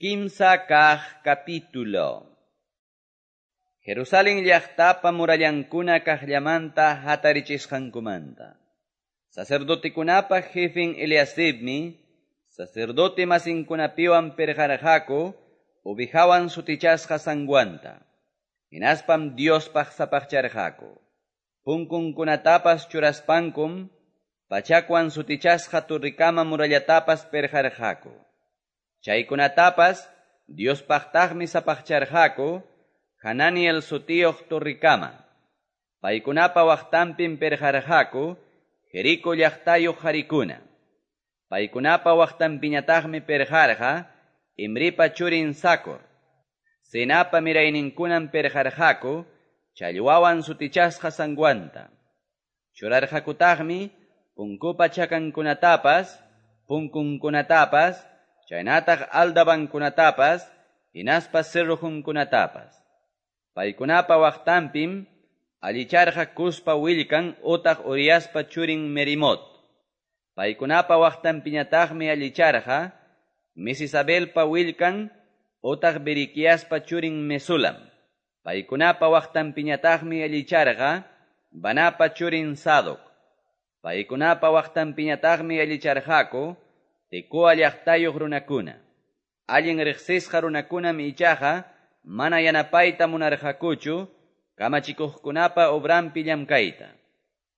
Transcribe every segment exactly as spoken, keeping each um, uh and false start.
Kimsa kaq capítulo. Jerusalén llaqtapa murallankuna kaqllamanta hatarichisqankumanta. Sacerdotekunapa jefen Eliasibmi, sacerdote masinkunapiwan perqarqaku, ovejawan sutichasqa sanguanta. Hinaspam Diospaq sapaqcharqaku. Punkunkunatapas churaspankum, pachakwan sutichasqa turrikama murallatapas perqarqaku. Chaykunatapas Diospaqtaqmi sapaqcharqaku, Hananiel sutiyuq turrikama. Paykunapa waqtanpim perqarqaku, Jerico llaqtayuq harikuna. Paykunapa waqtanpiñataqmi perqarqa, Imripa churin Sacor. Senapa mirayninkunam perqarqaku, challwawan sutichasqa sanguanta. Churarqakutaqmi, punkupa chakankunatapas, punkunkunatapas, chaynataq aldabankunatapas, hinaspa cerrojunkunatapas. Paykunapa waqtanpim, allicharqa Cuspa willkan utaq Uriaspa churin Merimot. Paykunapa waqtanpiñataqmi allicharqa Mesisabelpa willkan utaq Beriquiaspa churin Mesulam. Paykunapa waqtanpiñataqmi allicharqa Banapa churin Sadoc. Paykunapa waqtanpiñataqmi allicharqaku Tecoa llaqtayuq runakuna. Allin riqsisqa runakunam ichaqa mana yanapayta munarqakuchu kamachikuqkunapa obranpi llamkayta.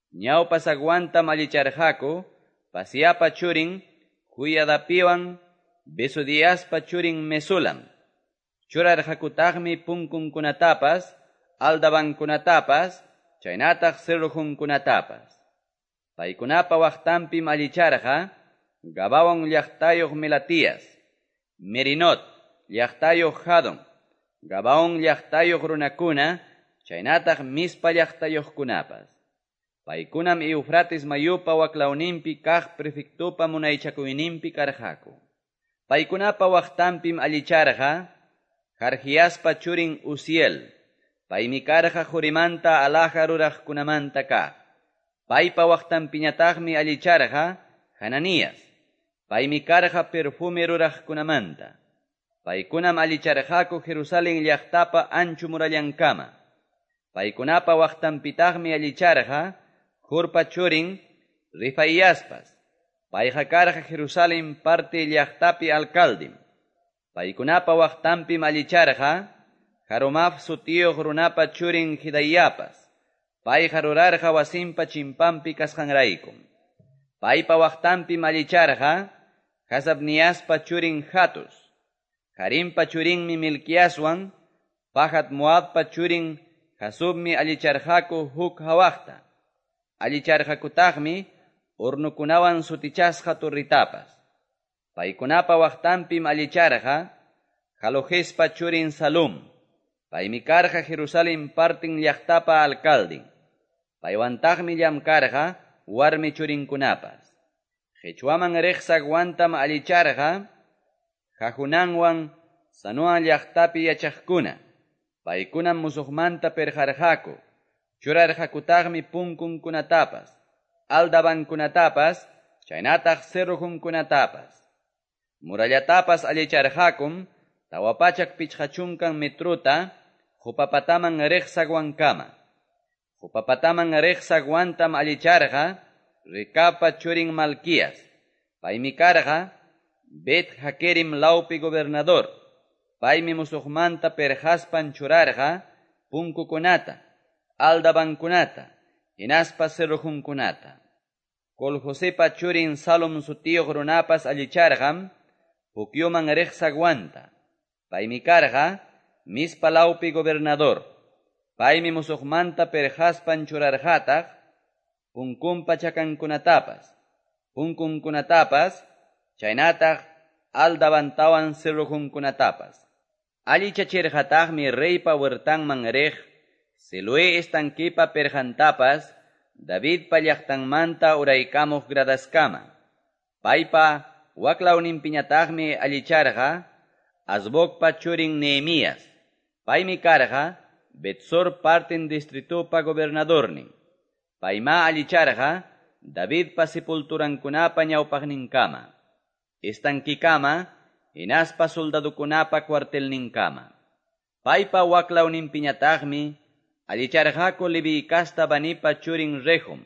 Ñawpa saguantam allicharqaku Pasiapa churin Juyadapiwan Besodiaspa churin Mesulam. Churarqakutaqmi punkunkunatapas, aldabankunatapas, chaynataq cerrojunkunatapas. Paykunapa waqtanpim allicharqa Gabaon llaqtayuq Melatías, Merinot llaqtayuq Jadon, Gabaon llaqtayuq runakuna, chaynataq Mispa llaqtayuqkunapas. Paykunam Eufrates mayupa waklawninpi kaq prefectupa munaychakuyninpi karqaku. Paykunapa waqtanpim allicharqa Jargiaspa churin Uziel, paymi karqa qurimanta alhaja ruraqkunamanta kaq. Paypa waqtanpiñataqmi allicharqa Hananías, paymi karqa perfume ruraqkunamanta. Paykunam allicharqaku Jerusalén llaqtapa anchu murallankama. Paykunapa waqtanpitaqmi allicharqa Jurpa churin Rifaiaspas. Payqa karqa Jerusalén parte llaqtapi alcaldim. Paykunapa waqtanpim allicharqa Harumaf sutiyuq runapa churin Hidayapas. Payqa rurarqa wasinpa chimpanpi kasqanraykum. Paypa waqtanpim allicharqa Hasabniaspa churin Hatus. Harimpa churinmi Milquiaswan, Pahat Moabpa churin Hasubmi allicharqaku huk hawaqta. Allicharqakutaqmi urnukunawan sutichasqa turritapas. Paykunapa waqtanpim allicharqa Halojespa churin Salum. Paymi karqa Jerusalén partin llaqtapa alcaldin. Paywantaqmi llamkarqa warmi churinkunapas. Qhichwaman riq saguantam allicharqa Jajunanwan Sanoa llaqtapi yachaqkuna. Paykunam musuqmanta perqarqaku. Churarqakutaqmi punkunkunatapas, aldabankunatapas, chaynataq cerrojunkunatapas. Murallatapas allicharqakum tawa pachak pichqa chunkan metruta Jupapataman riq saguankama. Jupapataman riq saguantam allicharqa Recabpa churin Malquías. Paymi karqa Bet Hakerim lawpi gobernador. Paymi musuqmanta perqaspan churarqa punkukunata, aldabankunata, hinaspa cerrojunkunata. Coljosepa churin Salom sutiyuq runapas allicharqam Pukyuman riq saguanta. Paymi karqa Mispa lawpi gobernador. Paymi musuqmanta perqaspan churarqataq punkunpa chakankunatapas, punkunkunatapas, chaynataq aldabantawan cerrojunkunatapas. Allichachirqataqmi reypa huertanman riq Siloé estanquipa perqantapas, Davidpa llaqtanmanta uraykamuq gradaskama. Paypa waklawninpiñataqmi allicharqa Azbocpa churin Nehemías. Paymi karqa Betsor partin distritupa gobernadornin. Payma allicharqa Davidpa sepulturankunapa ñawpaqninkama. Estanquikama hinaspa soldadokunapa cuartelninkama. Paypa waklawninpiñataqmi allicharqaku Leví casta Banipa churin Rehum.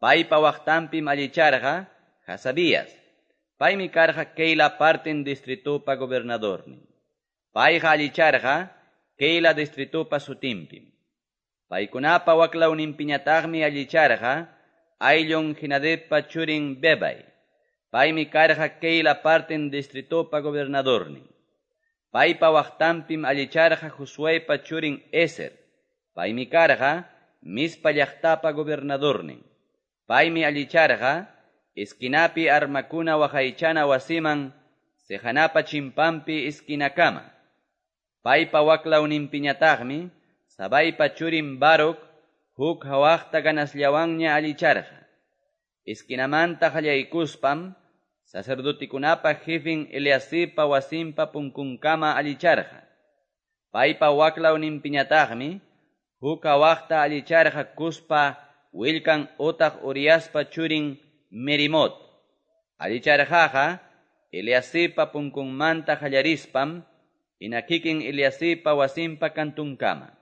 Paypa waqtanpim allicharqa Hasabías. Paymi karqa Keila parten distritupa gobernadornin. Payqa allicharqa Keila distritupa sutinpim. Paykunapa waklawninpiñataqmi allicharqa ayllun Henadadpa churin Bebay. Paymi karqa Keila parten distritupa gobernadornin. Paypa waqtanpim allicharqa Josuepa churin Ezer. Paymi karqa Mizpa llaqtapa gobernadornin. Paymi allicharqa esquinapi armakuna waqaychana wasiman sejanapa chimpanpi esquinakama. Paypa waklawninpiñataqmi Sabaypa churin Baruc huk hawaqta ganasllawanña allicharqa. Esquinamanta qallaykuspam sacerdotekunapa jefin Eliasibpa wasinpa punkunkama allicharqa. Paypa waklawninpiñataqmi huk hawaqta allicharqa Cuspa willkan otaq Uriaspa churin Merimot. Allicharqaqa Eliasibpa punkunmanta qallarispam hina kikin Eliasibpa wasinpa kantunkama.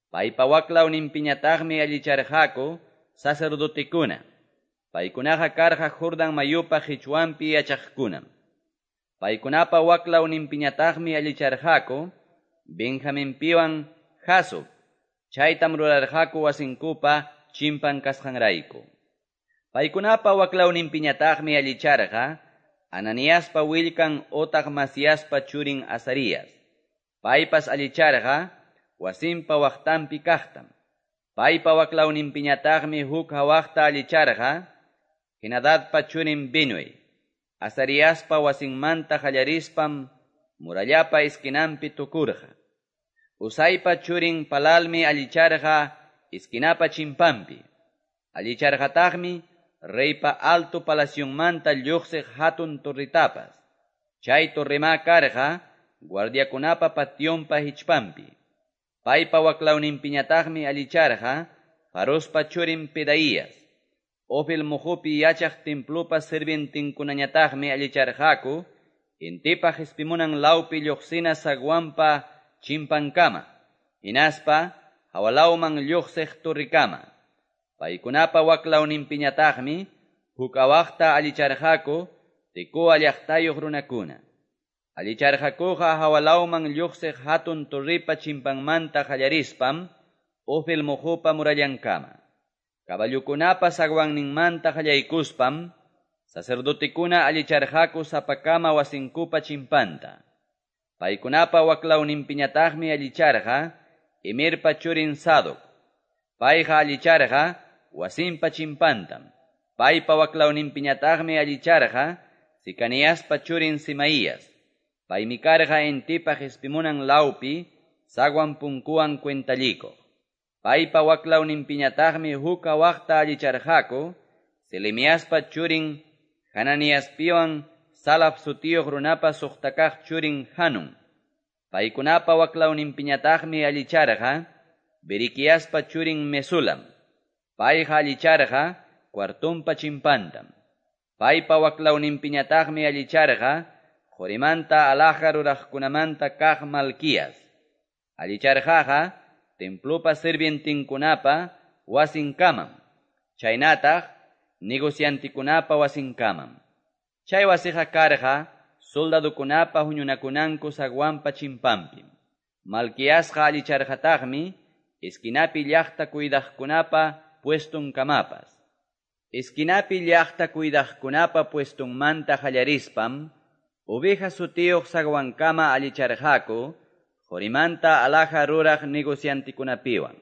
Paypa waklawninpiñataqmi allicharqaku sacerdotekuna. Paykunaqa karqa Jordan mayupa qichwanpi yachaqkunam. Paykunapa waklawninpiñataqmi allicharqaku Benjaminpiwan Hasub. Chaytam rurarqaku wasinkupa chimpan kasqanrayku. Paykunapa waklawninpiñataqmi allicharqa Ananiaspa willkan otaq Masiaspa churin Azarías. Paypas allicharqa wasinpa waqtanpi kaqtam. Paypa waklawninpiñataqmi huk hawaqta allicharqa Henadadpa churin Binuy. Azariaspa wasinmanta qallarispam murallapa esquinanpi tukurqa. Usaypa churin Palalmi allicharqa esquinapa chimpanpi. Allicharqataqmi reypa alto palacionmanta lluqsiq hatun torritapas. Chay torrema karqa guardiakunapa pationpa hichpanpi. Paypa waklawninpiñataqmi allicharqa Farospa churin Pedaías. Ofel muhupi yachaq templopa sirvientinkunañataqmi allicharqaku intipa qispimunan lawpi lluqsina zaguanpa chimpankama, hinaspa hawalawman lluqsiq torrikama. Paykunapa waklawninpiñataqmi huk awaqta allicharqaku Tecoa llaqtayuq runakuna. Allicharqakuqa hawalawman lluqsiq hatun torripa chimpanmanta qallarispam Ofel muhupa murallankama. Caballukunapa zaguanninmanta qallaykuspam sacerdotekuna allicharqaku sapakama wasinkupa chimpanta. Paykunapa waklawninpiñataqmi allicharqa Imirpa churin Sadoc. Payqa allicharqa wasinpa chimpantam. Paypa waklawninpiñataqmi allicharqa Sicaniaspa churin Simaías. Paymi karqa intipa qispimunan lawpi zaguan punkuwan cuentallikuq. Paypa waklawninpiñataqmi huk awaqta allicharqaku Selemiaspa churin Hananiaspiwan Salaf sutiyuq runapa suqtakaq churin Hanun. Paykunapa waklawninpiñataqmi allicharqa Beriquiaspa churin Mesulam. Payqa allicharqa cuartonpa chimpantam. Paypa waklawninpiñataqmi allicharqa qorimanta alhaja ruraqkunamanta kaq Malquías. Allicharqaqa templopa sirvientinkunapa wasinkamam, chaynataq negociantikunapa wasinkamam. Chay wasiqa karqa soldadokunapa huñunakunanku zaguanpa chimpanpim. Malquiasqa allicharqataqmi esquinapi llaqta cuidaqkunapa puestonkamapas. Esquinapi llaqta cuidaqkunapa puestonmanta qallarispam oveja sutiyuq zaguankama allicharqaku qorimanta alhaja ruraq negociantikunapiwan.